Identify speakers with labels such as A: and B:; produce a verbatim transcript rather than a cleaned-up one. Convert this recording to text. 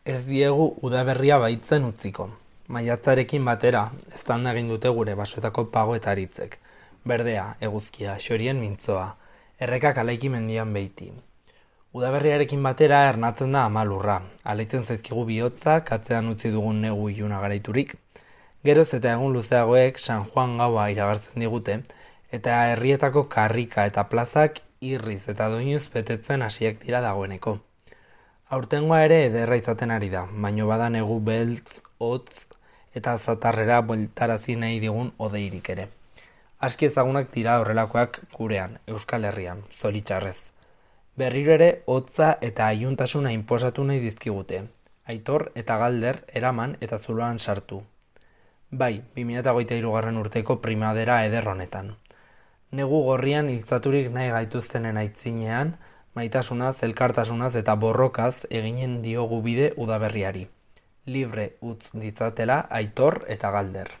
A: Ez diegu udaberria baitzen utziko. Maiatzarekin batera, eztanda egin dute gure basoetako pago eta aritzek. Berdea, eguzkia, xorien mintzoa, errekak alaiki mendian beiti. Udaberriarekin batera ernatzen da amalurra, aleitzen zaizkigu bihotzak, atzean utzi dugun negu iluna garaiturik. Geroz eta egun luzeagoek San Juan gaua iragartzen digute, eta herrietako karrika eta plazak irriz eta doinuz betetzen hasiak dira dagoeneko. Aurtengoa ere ederra izaten ari da, baino bada negu beltz, hotz eta zatarrera bueltarazi nahi digun odeirik ere. Aski ezagunak dira horrelakoak gurean, Euskal Herrian, zoritxarrez. Berriro ere hotza eta aiuntasuna inposatu nahi dizkigute, Aitor eta Galder eraman eta zuloan sartu. Bai, bi mila hogeita hirugarren urteko primadera eder honetan. Negu gorrian hiltzaturik nahi gaituztenen aitzinean, maitasunaz, elkartasunaz eta borrokaz eginen diogu bide udaberriari. Libre utz ditzatela Aitor eta Galder.